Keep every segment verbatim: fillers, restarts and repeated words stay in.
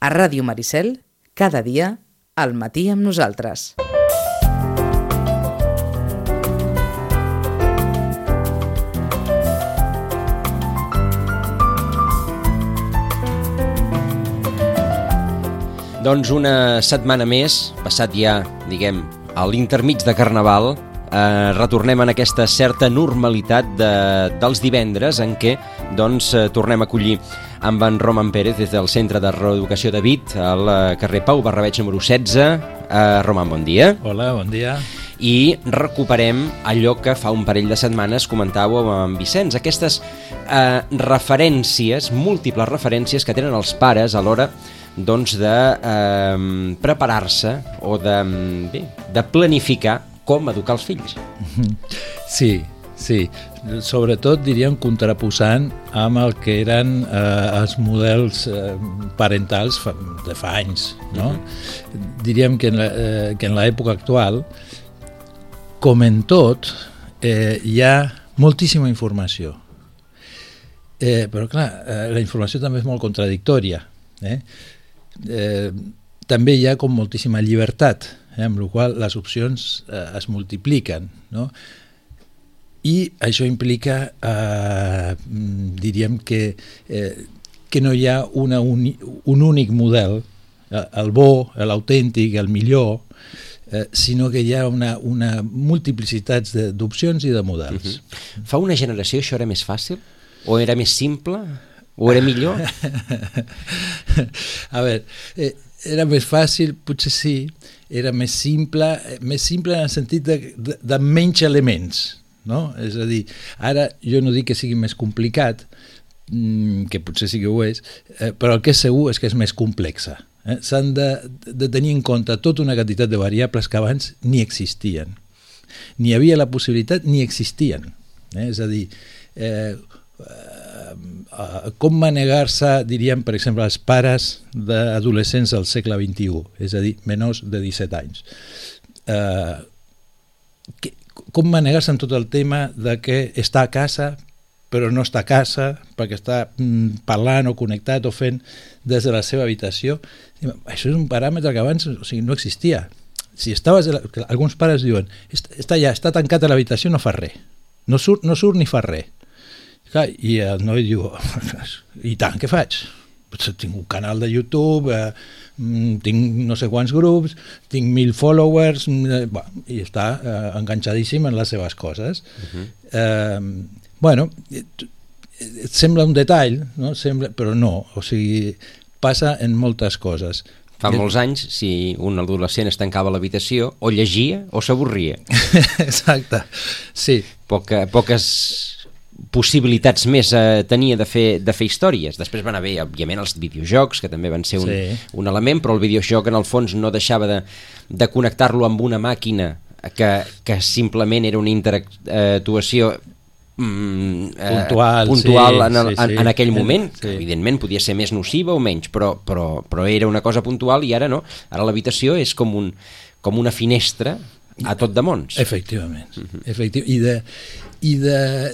A Ràdio Maricel, cada dia, al matí amb nosaltres. Doncs una setmana més, passat ja, diguem, a l'intermig de Carnaval, eh, retornem en aquesta certa normalitat de, dels divendres en què doncs, eh, tornem a acollir amb en Roman Pérez des del Centre de Reeducació de Vit al carrer Pau Barrabeig número setze. Eh, Roman, bon dia. Hola, bon dia. I recuperem allò que fa un parell de setmanes comentàveu amb Vicenç, aquestes eh, referències, múltiples referències que tenen els pares a l'hora doncs, de eh, preparar-se o de, bé, de planificar com educar els fills. Sí, sí. Sobretot, diríem, contraposant amb el que eren eh, els models eh, parentals fa, de fa anys. No? Mm-hmm. Diríem que en, la, eh, que en l'època actual, com en tot, eh, hi ha moltíssima informació. Eh, però, clar, eh, la informació també és molt contradictòria. Eh? Eh, també hi ha com moltíssima llibertat, eh, amb la qual les opcions eh, es multipliquen, no? I això implica, eh, diríem que, eh, que no hi ha una uni, un únic model, eh, el bo, l'autèntic, el millor, eh, sinó que hi ha una, una multiplicitat d'opcions i de models. Uh-huh. Fa una generació això era més fàcil? O era més simple? O era millor? A veure, eh, era més fàcil, potser sí, era més simple, més simple en el sentit de, de, de menys elements, no? És a dir, ara jo no dic que sigui més complicat, que potser sí que ho és, eh, però el que és segur és que és més complexa. Eh? S'han de, de tenir en compte tota una quantitat de variables que abans ni existien. Ni hi havia la possibilitat ni existien. Eh? És a dir, eh, Uh, com manegar-se, diríem, per exemple, els pares d'adolescents del segle vint-i-u, és a dir, menors de disset anys. Uh, que, com manegar-se en tot el tema de que està a casa però no està a casa perquè està mm, parlant o connectat o fent des de la seva habitació. Això és un paràmetre que abans, o sigui, no existia. Si estaves, alguns pares diuen, està allà, està tancat a l'habitació, no fa res, no surt, no surt ni fa res. I el noi diu, i tant, què faig? Tinc un canal de YouTube, eh, tinc no sé quants grups, tinc mil followers, eh, bueno, i està eh, enganxadíssim en les seves coses. Uh-huh. eh, bueno, et, et sembla un detall, no? Sembla, però no, o sigui, passa en moltes coses. Fa molts anys, si un adolescent es tancava a l'habitació, o llegia o s'avorria. Exacte, sí. Poca, poques possibilitats més eh, tenia de fer, de fer històries. Després van haver, òbviament, els videojocs, que també van ser un, sí. un element, però el videojoc en el fons no deixava de, de connectar-lo amb una màquina que, que simplement era una interactuació mm, eh, puntual, puntual sí, en, el, sí, sí. En, en aquell moment, sí. que evidentment podia ser més nociva o menys, però, però, però era una cosa puntual i ara no. Ara l'habitació és com, un, com una finestra a tot de mons. Efectivament. Uh-huh. Efectiu. I de i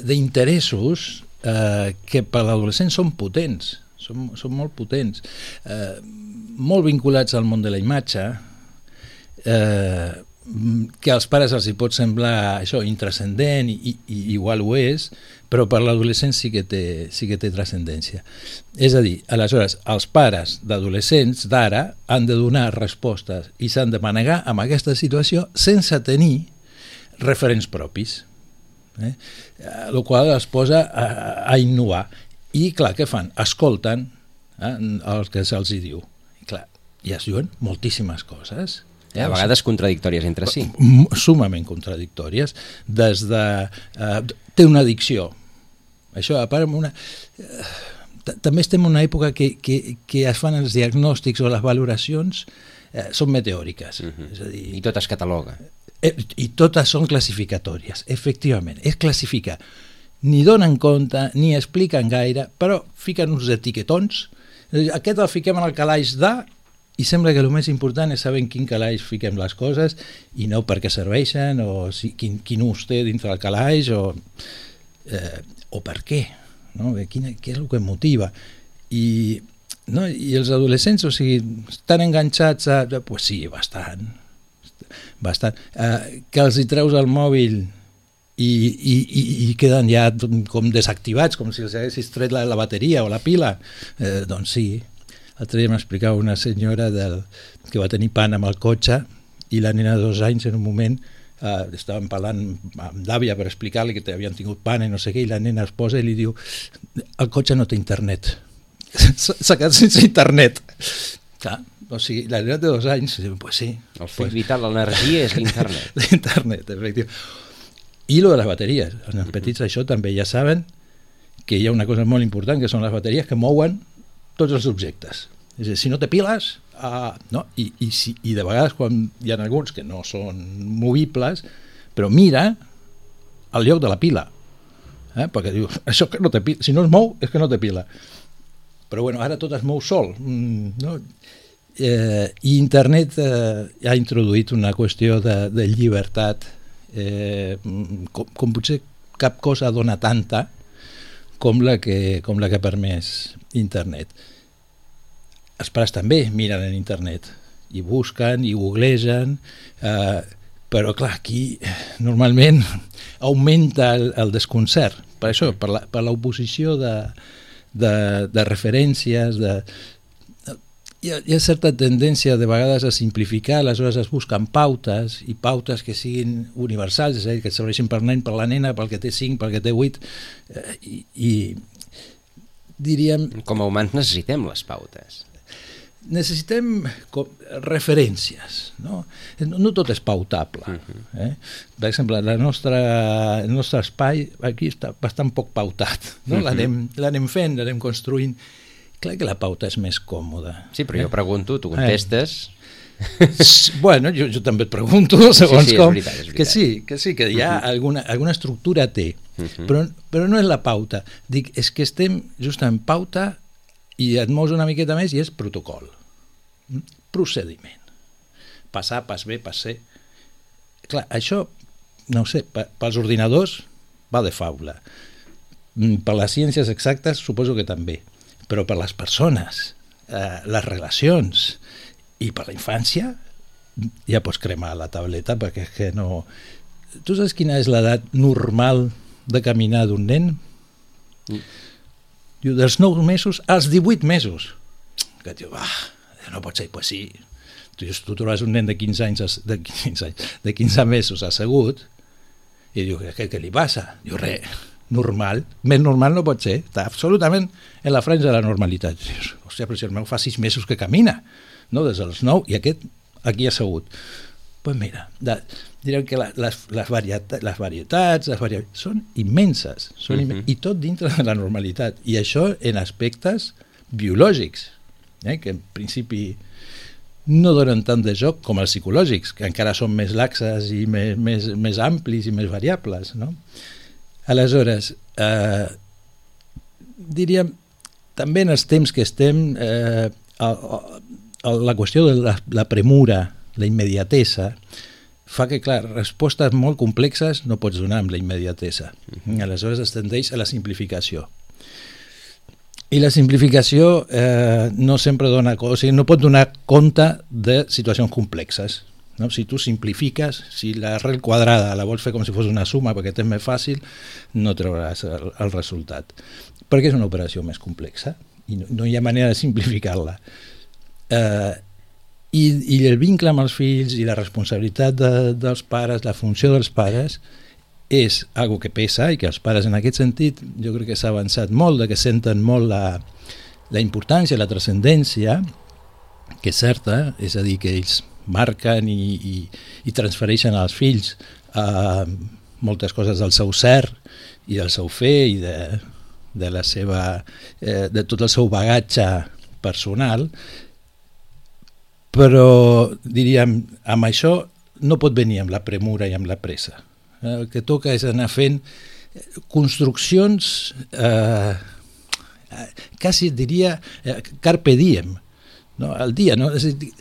d'interessos eh, que per l'adolescent són potents, són, són molt potents, eh, molt vinculats al món de la imatge, eh, que als pares els hi pot semblar això intrascendent i, i igual ho és, però per l'adolescent sí que té, sí que té transcendència. És a dir, aleshores, els pares d'adolescents d'ara han de donar respostes i s'han de manegar amb aquesta situació sense tenir referents propis. Eh? El qual es posa a, a innovar i clar, què fan? Escolten eh, el que se'ls diu i, clar, i es diuen moltíssimes coses eh? A vegades contradictòries entre si, sumament contradictòries, des de eh, té una addicció, això a part una eh, també estem en una època que, que, que es fan els diagnòstics o les valoracions eh, són meteòriques. Uh-huh. És a dir, i tot es cataloga. I totes són classificatòries, efectivament, és classificar. Ni donen compte, ni expliquen gaire, però fiquen uns etiquetons, aquest el fiquem en el calaix de, i sembla que el més important és saber en quin calaix fiquem les coses i no per què serveixen, o si, quin, quin ús té dintre del calaix, o, eh, o per què, no? Quina, què és el que motiva. I no? I els adolescents, o sigui, estan enganxats a... Pues sí, bastant. bastant. Uh, que els hi treus el mòbil i, i, i, i queden ja com desactivats, com si els haguessis tret la, la bateria o la pila. Eh, doncs sí. L'altre dia m'explicava una senyora del, que va tenir pan amb el cotxe i la nena de dos anys en un moment eh, estaven parlant amb l'àvia per explicar-li que havien tingut pan i no sé què, i la nena es posa i li diu el cotxe no té internet. S'ha quedat sense internet. Clar, o sigui, la nena de dos anys, pues sí. El full pues, vital, l'energia és l'internet. L'internet, efectivament. I lo de les bateries. Els uh-huh. petits això també ja saben que hi ha una cosa molt important, que són les bateries que mouen tots els objectes. És a dir, si no té piles, uh, no? I, i, si, i de vegades quan hi ha alguns que no són movibles, però mira al lloc de la pila. Eh? Perquè diu, això que no té pila, si no es mou és que no té pila. Però bueno, ara tot es mou sol. Mm, no? eh, I internet eh, ha introduït una qüestió de, de llibertat eh, com, com potser cap cosa dona tanta com la que, com la que ha permès internet. Els pares també miren en internet i busquen i googlegen, eh, però clar, aquí normalment augmenta el, el desconcert, per això, per la, per l'oposició de, de, de referències, de, hi ha, hi ha certa tendència de vegades a simplificar, aleshores es busquen pautes i pautes que siguin universals, és a dir, que serveixin per nen, per la nena, pel que té cinc, pel que té vuit, eh, i, i diríem... Com a humans necessitem les pautes. Necessitem com, referències, no? No tot és pautable. Uh-huh. eh? Per exemple, la nostra, el nostre espai aquí està bastant poc pautat, no? Uh-huh. L'anem, l'anem fent, l'anem construint. Clar que la pauta és més còmoda. Sí, però eh? jo pregunto, tu contestes... Eh. Bueno, jo, jo també et pregunto, segons sí, sí, com... És veritat, és veritat. Que sí, que sí, que hi ha uh-huh. alguna, alguna estructura té, uh-huh. però, però no és la pauta. Dic, és que estem justament pauta i et mous una miqueta més i és protocol. Procediment. Passar, pas B, pas C. Clar, això, no ho sé, pels ordinadors va de faula. Per les ciències exactes suposo que també. Però per les persones, eh, les relacions i per la infància ja pots cremar la tauleta perquè és que no... Tu saps quina és l'edat normal de caminar d'un nen? Mm. Diu, dels nou mesos als divuit mesos. Que diu, ah, no pot ser, pues sí. Tu, tu trobes un nen de quinze anys, de quinze anys, de quinze mesos assegut i diu, què, què li passa? Diu, res, normal, més normal no pot ser, està absolutament en la franja de la normalitat. Dius, hòstia, però si el meu fa sis mesos que camina, no? Des dels nou, i aquest aquí assegut. Doncs pues mira, de, direm que la, les, les, varietats, les varietats les varietats són immenses, són uh-huh. immens, i tot dintre de la normalitat, i això en aspectes biològics, eh, que en principi no donen tant de joc com els psicològics, que encara són més laxes i més, més, més amplis i més variables, no? Aleshores, eh, diríem, també en els temps que estem, eh, el, el, la qüestió de la, la premura, la immediatesa, fa que, clar, respostes molt complexes no pots donar amb la immediatesa. Aleshores es tendeix a la simplificació. I la simplificació eh, no sempre dona, o sigui, no pot donar compte de situacions complexes. No? Si tu simplifiques, si l'arrel quadrada la vols fer com si fos una suma perquè és més fàcil, no trauràs el, el resultat. Perquè és una operació més complexa i no, no hi ha manera de simplificar-la. Eh, i, I el vincle amb els fills i la responsabilitat de, dels pares, la funció dels pares, és algo que pesa i que els pares en aquest sentit jo crec que s'ha avançat molt, de que senten molt la, la importància, la transcendència, que és certa, és a dir, que ells marquen i, i, i transfereixen als fills eh, moltes coses del seu ser i del seu fer i de, de la seva eh, de tot el seu bagatge personal, però diríem, amb això no pot venir amb la premura i amb la pressa. El que toca és anar fent construccions eh, quasi diria eh, carpe diem, no? Al dia, no? És a dir,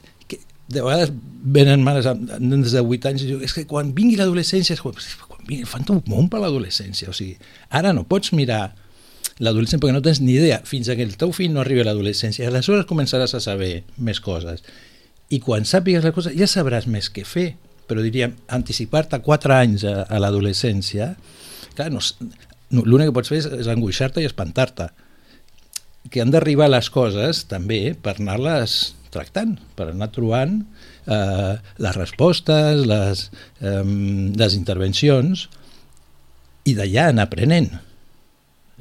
de vegades venen mares amb nens de vuit anys i diuen, és que quan vingui l'adolescència, quan vingui, fan un món per l'adolescència, o sigui, ara no pots mirar l'adolescència, perquè no tens ni idea, fins que el teu fill no arribi a l'adolescència, aleshores començaràs a saber més coses. I quan sàpigues les coses ja sabràs més què fer, però diríem, anticipar-te quatre anys a, a l'adolescència, clar, no, no, l'únic que pots fer és, és angoixar-te i espantar-te. Que han d'arribar les coses també per anar-les tractant, per anar trobant eh, les respostes, les, eh, les intervencions, i d'allà anar aprenent,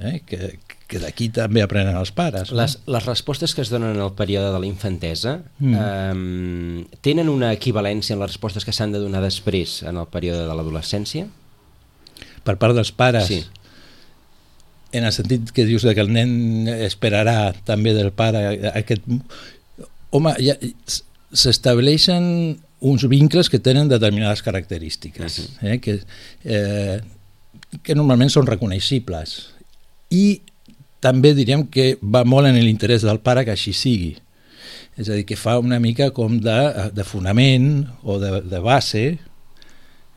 eh? que, que d'aquí també aprenen els pares. No? Les, les respostes que es donen en el període de la infantesa mm. eh, tenen una equivalència en les respostes que s'han de donar després en el període de l'adolescència? Per part dels pares? Sí. En el sentit que dius que el nen esperarà també del pare aquest... Home, ja, s'estableixen uns vincles que tenen determinades característiques, uh-huh. eh, que, eh, que normalment són reconeixibles. I també diríem que va molt en l'interès del pare que així sigui. És a dir, que fa una mica com de, de fonament o de, de base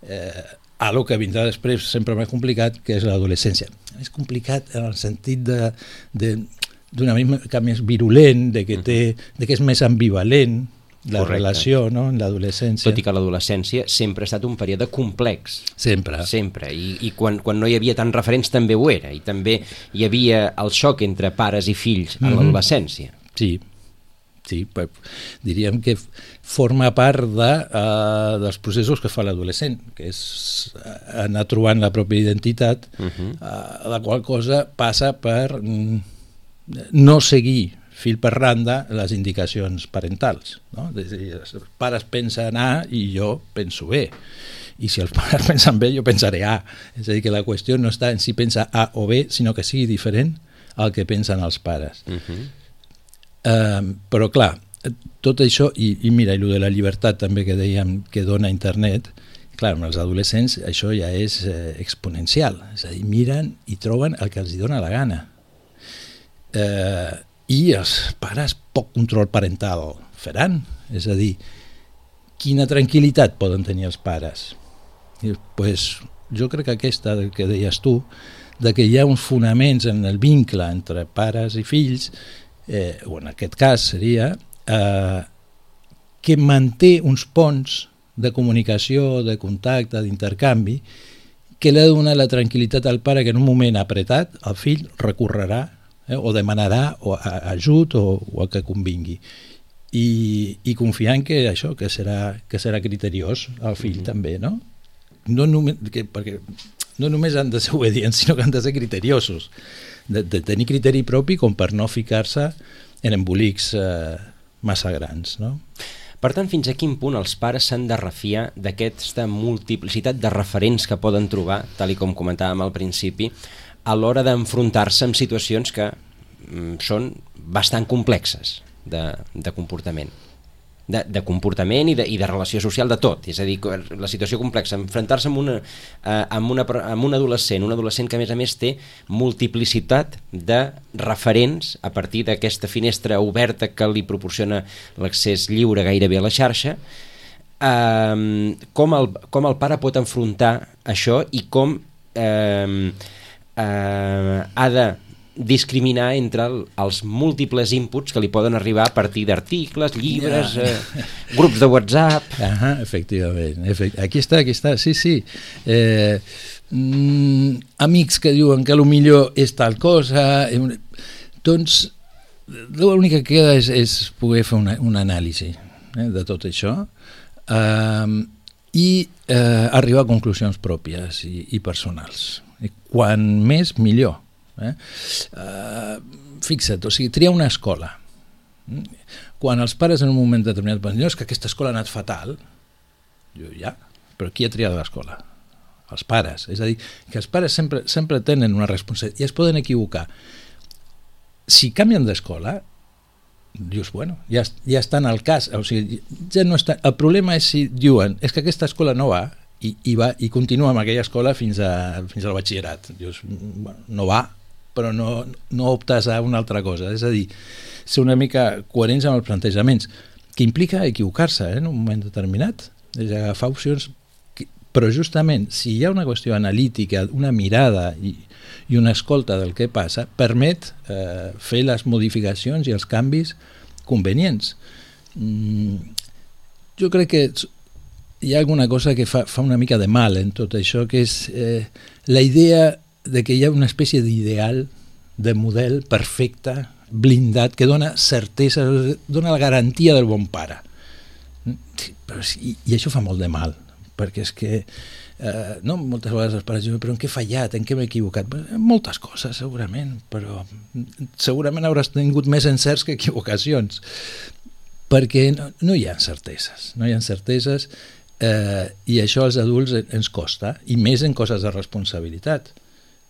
eh, a lo que vindrà després sempre més complicat, que és l'adolescència. És complicat en el sentit de, de, d'una mica més virulent, de que, té, de que és més ambivalent la Correcte. Relació, no?, en l'adolescència. Tot i que l'adolescència sempre ha estat un període complex. Sempre. Sempre. I, i quan, quan no hi havia tants referents també ho era. I també hi havia el xoc entre pares i fills en mm-hmm. l'adolescència. Sí. Sí, diríem que forma part de, uh, dels processos que fa l'adolescent, que és anar trobant la pròpia identitat, uh-huh. uh, la qual cosa passa per mm, no seguir fil per randa les indicacions parentals. No? Els pares pensen A i jo penso B. I si els pares pensen B, jo pensaré A. És a dir, que la qüestió no està en si pensa A o B, sinó que sigui diferent al que pensen els pares. Uh-huh. Uh, però clar, tot això, i, i mira, i el de la llibertat també que dèiem que dona internet, clar, amb els adolescents això ja és eh, exponencial, és a dir, miren i troben el que els dona la gana. Uh, I els pares poc control parental faran, és a dir, quina tranquil·litat poden tenir els pares? I, pues, jo crec que aquesta que deies tu, de que hi ha uns fonaments en el vincle entre pares i fills, Eh, o en aquest cas seria eh, que manté uns ponts de comunicació, de contacte, d'intercanvi, que li ha de donar la tranquil·litat al pare que en un moment apretat el fill recorrerà eh, o demanarà o a, ajut o, o el que convingui, i, i confiant que això, que serà, que serà criteriós el fill mm-hmm. també, no? No només, que, perquè no només han de ser obedients, sinó que han de ser criteriosos, de, de tenir criteri propi com per no ficar-se en embolics eh, massa grans, no? Per tant, fins a quin punt els pares s'han de refiar d'aquesta multiplicitat de referents que poden trobar, tal i com comentàvem al principi, a l'hora d'enfrontar-se amb situacions que mm, són bastant complexes de, de comportament. De, de comportament i de, i de relació social, de tot, és a dir, la situació complexa, enfrontar-se amb, una, eh, amb, una, amb un adolescent, un adolescent que a més a més té multiplicitat de referents a partir d'aquesta finestra oberta que li proporciona l'accés lliure gairebé a la xarxa, eh, com, el, com el pare pot enfrontar això i com eh, eh, ha de discriminar entre el, els múltiples inputs que li poden arribar a partir d'articles, llibres, ja. eh, grups de WhatsApp... Ahà, efectivament. Efect... Aquí està, aquí està, sí, sí. Eh, mm, amics que diuen que potser és tal cosa... Eh, doncs l'únic que queda és, és poder fer una, una anàlisi eh, de tot això eh, i eh, arribar a conclusions pròpies i, i personals. I quan més, millor. Eh? Uh, fixa't, o sigui, triar una escola. Quan els pares en un moment determinat van dir, no, és que aquesta escola ha anat fatal, jo ja, però qui ha triat l'escola? Els pares. És a dir, que els pares sempre, sempre tenen una responsabilitat i es poden equivocar. Si canvien d'escola, dius, bueno, ja, ja estan al cas, o sigui, ja no està, el problema és si diuen, és que aquesta escola no va, i, i, va, i continua amb aquella escola fins, a, fins al batxillerat. Dius, bueno, no va, però no, no optes a una altra cosa. És a dir, ser una mica coherents amb els plantejaments, que implica equivocar-se eh, en un moment determinat. És agafar opcions que Però justament, si hi ha una qüestió analítica, una mirada i, i una escolta del que passa, permet eh, fer les modificacions i els canvis convenients. Mm, jo crec que hi ha alguna cosa que fa, fa una mica de mal en tot això, que és eh, la idea de que hi ha una espècie d'ideal, de model perfecte, blindat, que dona certesa, dona la garantia del bon pare. Però, i, I això fa molt de mal, perquè és que eh, no, moltes vegades els pares diuen, però en què he fallat, en què m'he equivocat? Moltes coses, segurament, però segurament hauràs tingut més encerts que equivocacions, perquè no, no hi ha certeses, no hi ha certeses eh, i això als adults ens costa, i més en coses de responsabilitat.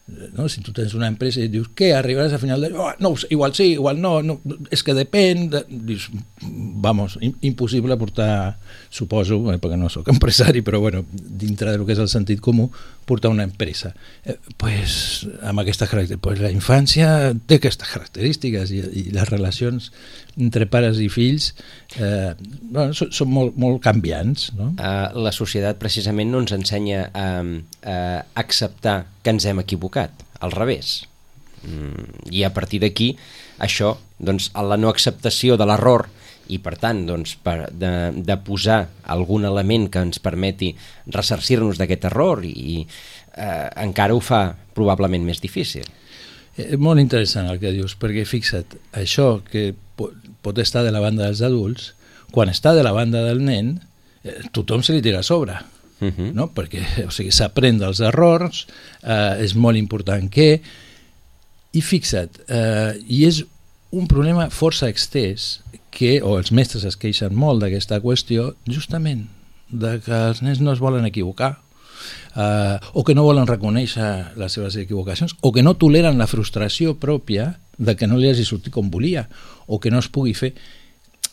No? Si tu tens una empresa i dius, què, arribaràs a final de... Oh, no, igual sí, igual no, no és que depèn, de... dius, vamos, impossible portar, suposo, eh, perquè no sóc empresari, però bueno, dintre del que és el sentit comú, portar una empresa. Eh, pues, amb aquestes característiques, pues la infància té aquestes característiques i, i les relacions entre pares i fills eh, bueno, són, són molt, molt canviants, no? Uh, la societat precisament no ens ensenya a, a acceptar que ens hem equivocat, al revés. Mm, i a partir d'aquí, això, doncs, a la no acceptació de l'error i per tant doncs, per, de, de posar algun element que ens permeti ressarcir-nos d'aquest error i eh, encara ho fa probablement més difícil. És molt interessant el que dius, perquè fixa't, això que pot estar de la banda dels adults, quan està de la banda del nen, eh, tothom se li tira a sobre, uh -huh. no? Perquè o sigui, s'aprèn dels errors, eh, és molt important que... I fixa't, eh, i és un problema força extès, que, o els mestres es queixen molt d'aquesta qüestió, justament, de que els nens no es volen equivocar, Uh, o que no volen reconèixer les seves equivocacions, o que no toleren la frustració pròpia de que no li hagi sortit com volia, o que no es pugui fer.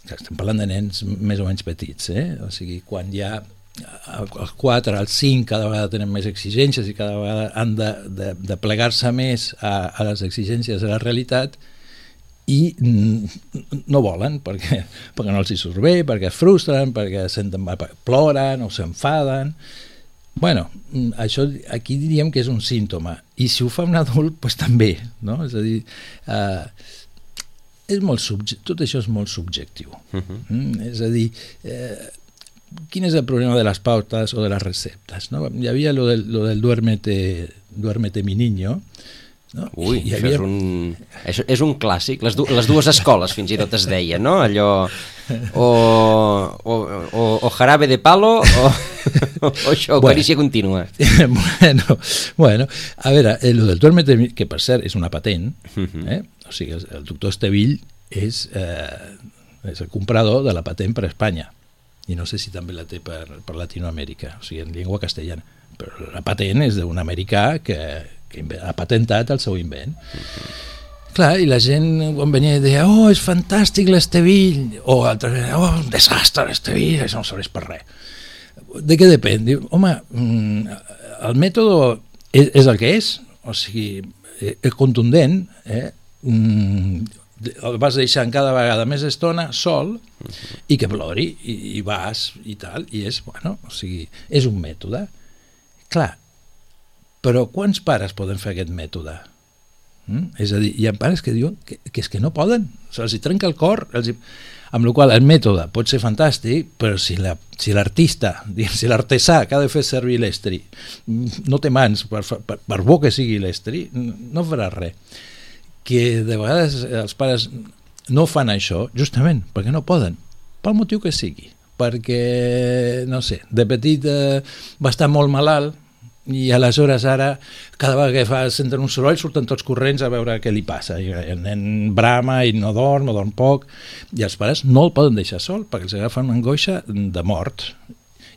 Estem parlant de nens més o menys petits, eh? O sigui, quan ja els quatre, els cinc cada vegada tenen més exigències i cada vegada han de, de, de plegar-se més a, a les exigències de la realitat i no volen perquè, perquè no els hi surt bé, perquè es frustren, perquè senten, ploren o s'enfaden. Bueno, això aquí diríem que és un símptoma, i si ho fa un adult, doncs també, no? És a dir, eh, és molt subje- tot això és molt subjectiu. Uh-huh. Mm? És a dir, eh, quin és el problema de les pautes o de les receptes? No? Hi havia lo del, lo del duérmete, duérmete mi niño, no? Ui, això, havia... és un, això és un clàssic, les, du les dues escoles fins i tot es deia, no? Allò o, o, o, o jarabe de palo o, o això, o bueno, carícia contínua. Bueno, bueno, a veure, el del duérmete, que per cert és una patent, eh? O sigui, el, el doctor Estevill és, eh, és el comprador de la patent per a Espanya, i no sé si també la té per, per Latinoamèrica, o sigui, en llengua castellana, però la patent és d'un americà que que ha patentat el seu invent. Uh-huh. Clar, i la gent quan venia i deia, oh, és fantàstic l'Estevill, o altres deien, oh, un desastre l'Estevill, això no serveix per res. De què depèn? Diu, home, el mètode és, és el que és, o sigui, és contundent, eh? El vas deixant cada vegada més estona sol, uh-huh. i que plori, i, i vas, i tal, i és, bueno, o sigui, és un mètode. Clar, però quants pares poden fer aquest mètode? Mm? És a dir, hi ha pares que diuen que, que és que no poden, se'ls trenca el cor, els hi... amb la qual el mètode pot ser fantàstic, però si la, si l'artista, si l'artesà que ha de fer servir l'estri no té mans, per, per, per bo que sigui l'estri, no farà res. Que de vegades els pares no fan això justament perquè no poden, pel motiu que sigui, perquè, no sé, de petit eh, va estar molt malalt, i aleshores ara cada vegada que fa, senten un soroll surten tots corrents a veure què li passa, i el nen brama i no dorm o dorm poc, i els pares no el poden deixar sol perquè els agafen una angoixa de mort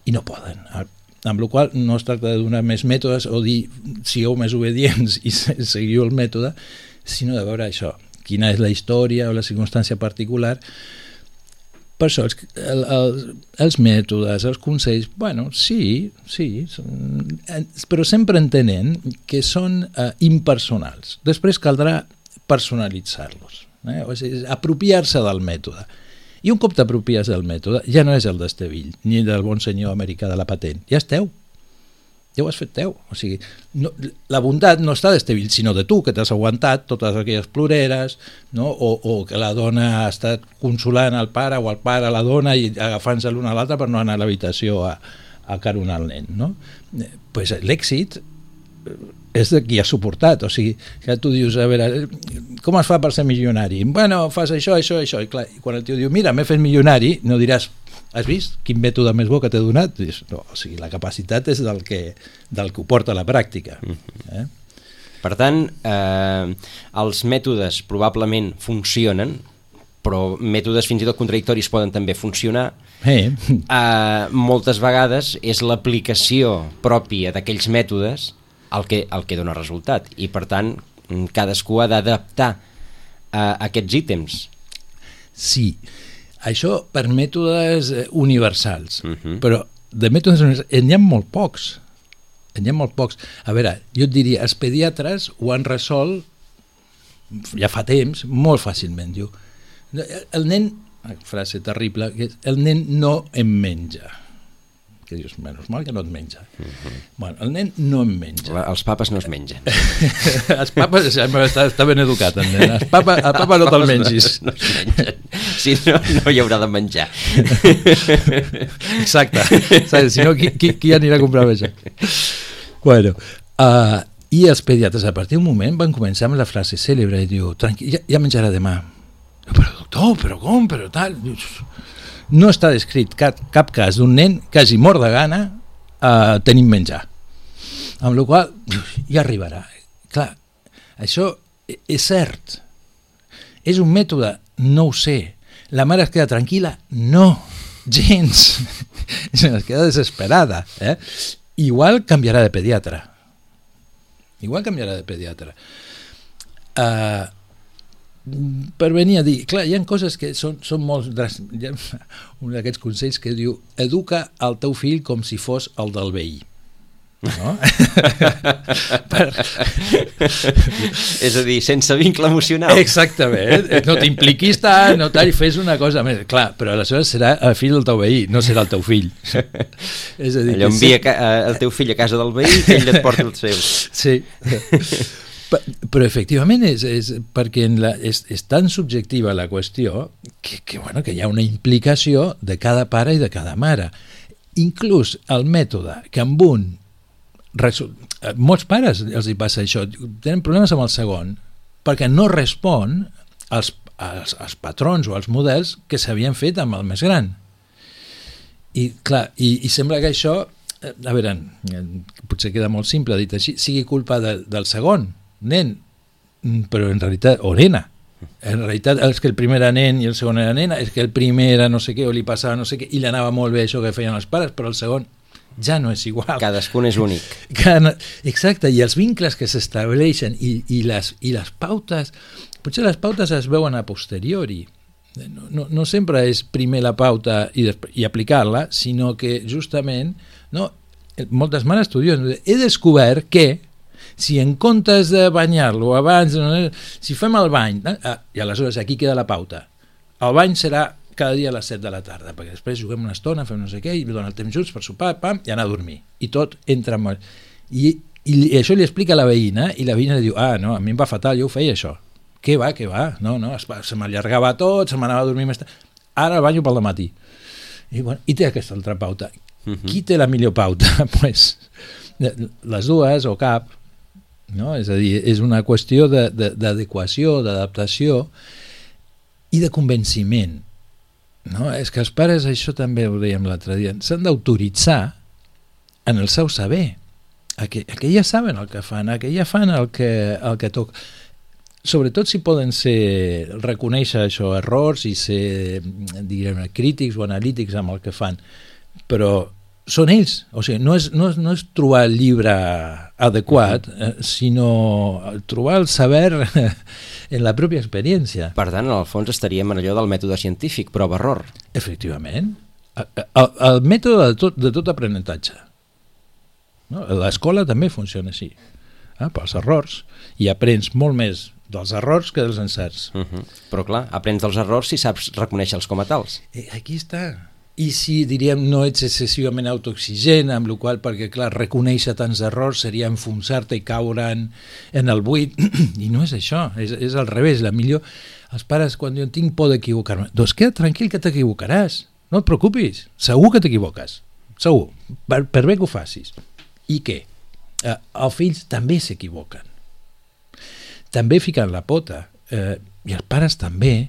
i no poden, amb la qual no es tracta de donar més mètodes o dir sigueu més obedients i seguiu el mètode, sinó de veure això, quina és la història o la circumstància particular. Per això, els, el, el, els mètodes, els consells, bueno, sí, sí, són, però sempre entenent que són eh, impersonals. Després caldrà personalitzar-los, eh? O sigui, apropiar-se del mètode. I un cop t'apropies del mètode, ja no és el d'Estevill, ni del bon senyor americà de la patent, ja esteu. ja ho has fet teu. O sigui, no, la bondat no està d'Estevil, sinó de tu, que t'has aguantat totes aquelles ploreres, no? o, o que la dona ha estat consolant el pare o el pare a la dona i agafant-se l'una a l'altra per no anar a l'habitació a, a caronar el nen. No? Eh, pues l'èxit és de qui ha suportat, o sigui, que tu dius, a veure, com es fa per ser milionari? Bueno, fas això, això, això, i clar, i quan el tio diu, mira, m'he fet milionari, no diràs, has vist quin mètode més bo que t'he donat? No, o sigui, la capacitat és del que, del que ho porta a la pràctica. Eh? Per tant, eh, els mètodes probablement funcionen, però mètodes fins i tot contradictoris poden també funcionar. Eh. Eh, moltes vegades és l'aplicació pròpia d'aquells mètodes el que, el que dona resultat, i per tant cadascú ha d'adaptar a aquests ítems. Sí, això per mètodes universals, Uh-huh. però de mètodes universals n'hi ha molt pocs. N'hi ha molt pocs. A veure, jo et diria, els pediatres ho han resolt ja fa temps, molt fàcilment. Diu, el nen, frase terrible, que el nen no em menja. Que dius, menys mal que no et menja. Uh-huh. Bueno, el nen no em menja. La, els papes no es mengen. Els papes, està, està ben educat, el nen. El papa, el papa no te'l mengis. No, no es mengen. Si no, no hi haurà de menjar. Exacte. Si no, qui, qui, qui anirà a comprar això? Bueno, uh, i els pediatres a partir d'un moment van començar amb la frase cèlebre i diu, tranquil, ja, ja menjarà demà. Però doctor, però com, però tal... No està descrit cap, cap cas d'un nen que hagi mort de gana eh, tenint menjar. Amb la qual cosa ja arribarà. Clar, això és cert. És un mètode? No ho sé. La mare es queda tranquil·la? No, gens. Es queda desesperada. Eh? Igual canviarà de pediatre. Igual canviarà de pediatre. Uh, per venir a dir, clar, hi ha coses que són, són molt dràstiques. Hi ha un d'aquests consells que diu, educa el teu fill com si fos el del veí. No? per... És a dir, sense vincle emocional. Exactament, no t'impliquis tant, no tal, fes una cosa més. Clar, però aleshores serà el fill del teu veí, no serà el teu fill. És a dir, allò envia sí... el teu fill a casa del veí que ell et porta el seu. Sí. Però efectivament és, és perquè en la, és, és tan subjectiva la qüestió que, que, bueno, que hi ha una implicació de cada pare i de cada mare. Inclús el mètode que amb un resol... molts pares els hi passa això, tenen problemes amb el segon perquè no respon als, als, als patrons o als models que s'havien fet amb el més gran. I clar, i, i sembla que això, a veure, potser queda molt simple dit així, sigui culpa de, del segon nen, però en realitat, o nena, en realitat és que el primer era nen i el segon era nena, és que el primer era no sé què, o li passava no sé què, i li anava molt bé això que feien els pares, però el segon ja no és igual. Cadascun és únic. Cada, exacte, i els vincles que s'estableixen i, i, les, i les pautes, potser les pautes es veuen a posteriori, no, no, no sempre és primer la pauta i, i aplicar-la, sinó que justament, no, moltes mares t'ho diuen, he descobert que si en comptes de banyar-lo abans, si fem el bany, ah, i aleshores aquí queda la pauta, el bany serà cada dia a les set de la tarda, perquè després juguem una estona, fem no sé què, i donem el temps junts per sopar, pam, i anar a dormir, i tot entra molt. I, i, i això li explica a la veïna, i la veïna li diu, ah, no, a mi em va fatal, jo ho feia això. Què va, què va? No, no, es, se m'allargava tot, se m'anava a dormir més tard. Ara el banyo pel dematí. I, bueno, i té aquesta altra pauta. Uh-huh. Qui té la millor pauta? Pues, les dues o cap. No? És a dir, és una qüestió de, de, d'adequació, d'adaptació i de convenciment. No? És que els pares, això també ho dèiem l'altre dia, s'han d'autoritzar en el seu saber, a que, a que ja saben el que fan, a que ja fan el que, el que toca. Sobretot si poden ser, reconèixer això, errors i ser, diguem, crítics o analítics amb el que fan, però són ells, o sigui, no és, no és, no és trobar el llibre adequat, eh, sinó trobar el saber en la pròpia experiència. Per tant, en el fons estaríem en allò del mètode científic, prova-error. Efectivament. El, el mètode de tot, de tot aprenentatge. No? L'escola també funciona així, eh, pels errors, i aprens molt més dels errors que dels encerts. Uh-huh. Però clar, aprens dels errors si saps reconèixer-los com a tals. Eh, aquí està. i si, diríem, no ets excessivament autoexigent, amb la qual, perquè, clar, reconèixer tants errors seria enfonsar-te i caure en, en el buit, i no és això, és, és al revés. La millor, els pares, quan diuen tinc por d'equivocar-me, doncs queda tranquil que t'equivocaràs, no et preocupis, segur que t'equivoques, segur, per, per bé que ho facis. I què? Eh, els fills també s'equivoquen, també fiquen la pota, eh, i els pares també.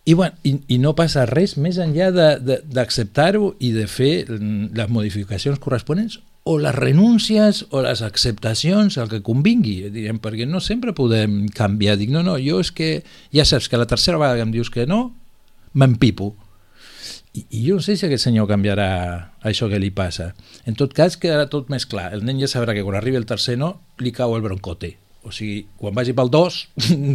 I, bueno, i, i no passa res més enllà d'acceptar-ho i de fer les modificacions corresponents o les renúncies o les acceptacions, el que convingui, diguem, perquè no sempre podem canviar. Dic, no, no, jo és que ja saps que la tercera vegada que em dius que no, m'empipo. I, I jo no sé si aquest senyor canviarà això que li passa. En tot cas, quedarà tot més clar. El nen ja sabrà que quan arribi el tercer no, li cau el broncote. O sigui, quan vagi pel dos,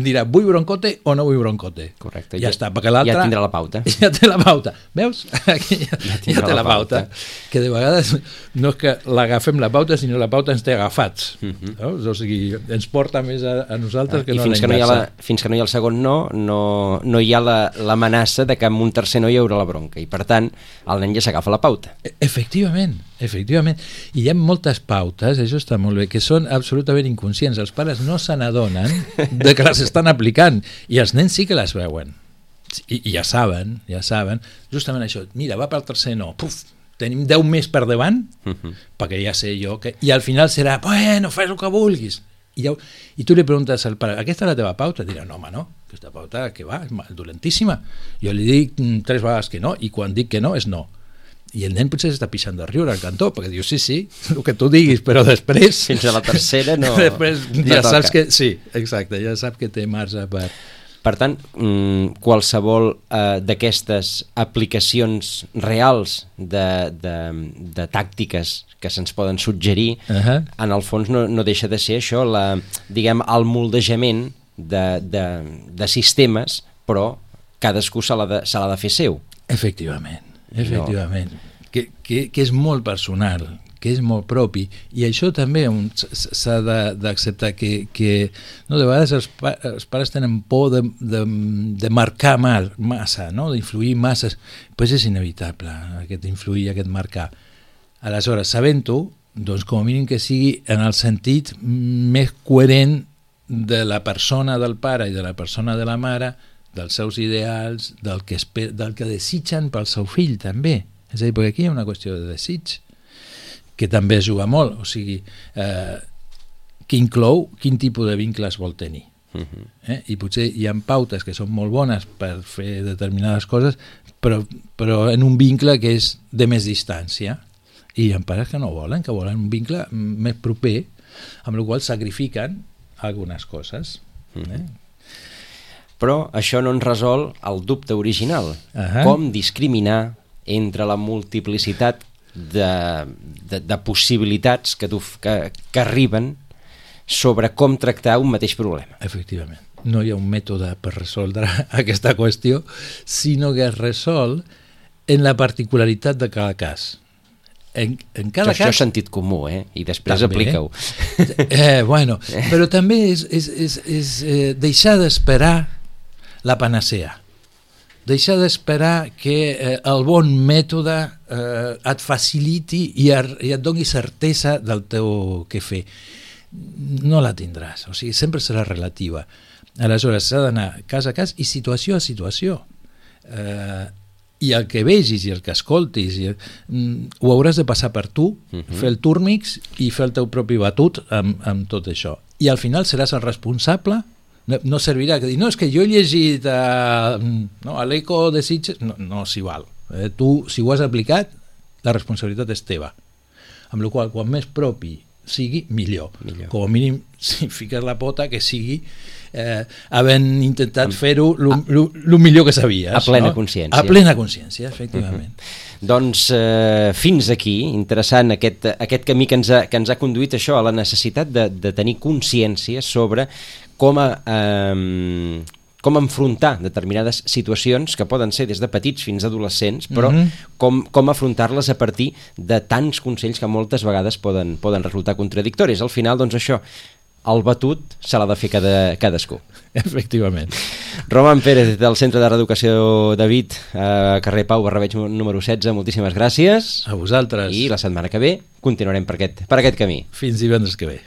dirà, vull broncote o no vull broncote. Correcte. Ja, ja està, perquè l'altre... Ja tindrà la pauta. Ja té la pauta. Veus? Aquí ja, ja, ja té la pauta. pauta. Que de vegades no és que l'agafem la pauta, sinó la pauta ens té agafats. Uh -huh. no? O sigui, ens porta més a, a nosaltres ah, que no a la inversa. No fins que no hi ha el segon no, no, no hi ha l'amenaça de que amb un tercer no hi haurà la bronca. I, per tant, el nen ja s'agafa la pauta. Efectivament, efectivament. I hi ha moltes pautes, això està molt bé, que són absolutament inconscients. Els pares no se n'adonen de que les estan aplicant i els nens sí que les veuen i, i ja saben, ja saben justament això, mira, va pel tercer no, puf, tenim deu més per davant uh -huh. perquè ja sé jo que... i al final serà, bueno, fes el que vulguis i, ja... i tu li preguntes al pare, aquesta és la teva pauta? Dirà, no home, no, aquesta pauta que va, és dolentíssima, jo li dic tres vegades que no i quan dic que no és no. I el nen potser s'està pixant de riure al cantó perquè diu, sí, sí, el que tu diguis, però després... Fins a la tercera no... després no ja toca. saps que... Sí, exacte, ja saps que té marge per... Per tant, qualsevol eh, d'aquestes aplicacions reals de, de, de tàctiques que se'ns poden suggerir, uh-huh. en el fons no, no deixa de ser això, la, diguem, el moldejament de, de, de sistemes, però cadascú se l'ha de, se l'ha de fer seu. Efectivament. Efectivament, no. que, que, que és molt personal, que és molt propi, i això també s'ha d'acceptar que, que no, de vegades els, pa, els pares tenen por de, de, de marcar massa, no? D'influir massa, doncs és inevitable aquest influir, aquest marcar. Aleshores, sabent-ho, doncs com a mínim que sigui en el sentit més coherent de la persona del pare i de la persona de la mare, dels seus ideals, del que, esper, del que desitgen pel seu fill també. És a dir, perquè aquí hi ha una qüestió de desig que també es juga molt, o sigui, eh, que inclou quin tipus de vincles vol tenir. Uh-huh. eh? I potser hi ha pautes que són molt bones per fer determinades coses, però, però en un vincle que és de més distància. I hi ha pares que no volen, que volen un vincle més proper, amb la qual sacrifiquen algunes coses. Uh-huh. eh? Però això no ens resol el dubte original. Uh-huh. Com discriminar entre la multiplicitat de, de, de possibilitats que, tu, que, que arriben sobre com tractar un mateix problema. Efectivament. No hi ha un mètode per resoldre aquesta qüestió, sinó que es resol en la particularitat de cada cas. En, en cada això, cas... això és sentit comú, eh? I després també, aplica-ho. Eh, bueno, però també és, és, és, és eh, deixar d'esperar la panacea. Deixar d'esperar que eh, el bon mètode eh, et faciliti i, er, i et doni certesa del teu què fer. No la tindràs, o sigui, sempre serà relativa. Aleshores, s'ha d'anar cas a cas i situació a situació. Eh, I el que vegis i el que escoltis i, mm, ho hauràs de passar per tu, uh-huh. fer el túrmix i fer el teu propi batut amb, amb tot això. I al final seràs el responsable. No, no servirà que dir, no, és que jo he llegit a, no, a l'Eco de Sitges, no, no s'hi val. Eh, tu, si ho has aplicat, la responsabilitat és teva. Amb la qual, quan més propi sigui, millor. millor. Com a mínim, si fiques la pota, que sigui eh, havent intentat fer-ho el millor que sabies. A plena no? consciència. A plena consciència, efectivament. Uh-huh. Doncs eh, fins aquí, interessant aquest, aquest camí que ens, ha, que ens ha conduït això a la necessitat de, de tenir consciència sobre com a, eh, com enfrontar determinades situacions que poden ser des de petits fins a adolescents, però uh-huh. com, com afrontar-les a partir de tants consells que moltes vegades poden, poden resultar contradictoris. Al final, doncs això, el batut se l'ha de fer cada, cadascú. Efectivament. Roman Pérez, del Centre de Reeducació David, a carrer Pau Barrabeig número setze, moltíssimes gràcies. A vosaltres. I la setmana que ve continuarem per aquest, per aquest camí. Fins divendres que ve.